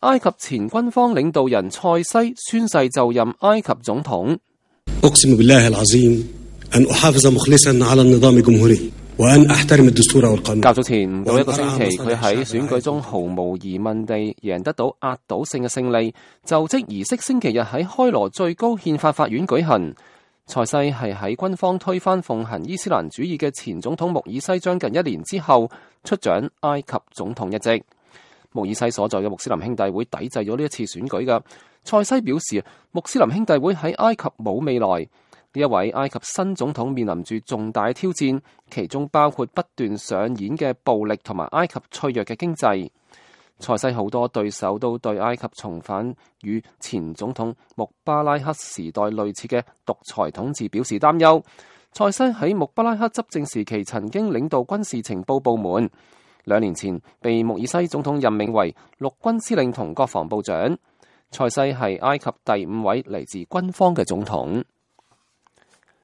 埃及前軍方領導人塞西宣誓就任埃及總統。أقسم بالله العظيم أن أحافظ مخلصا على النظام الجمهوري وأن أحترم الدستور والقانون。較早前唔到一個星期，佢喺選舉中毫無疑問地贏得到壓倒性嘅勝利。就職儀式星期日喺開羅最高憲法法院舉行。塞西係喺軍方推翻奉行伊斯蘭主義嘅前總統穆爾西將近1年之後出掌埃及總統一職。穆爾西所在嘅穆斯林兄弟會抵制咗呢一次選舉嘅。塞西表示，穆斯林兄弟會喺埃及冇未來。呢一位埃及新總統面臨住重大挑戰，其中包括不斷上演嘅暴力同埋埃及脆弱嘅經濟。塞西好多對手都對埃及重返與前總統穆巴拉克時代類似嘅獨裁統治表示擔憂。塞西喺穆巴拉克執政時期曾經領導軍事情報部門，2年前被穆爾西總統任命為陸軍司令同國防部長。塞西係埃及第5位嚟自軍方嘅總統。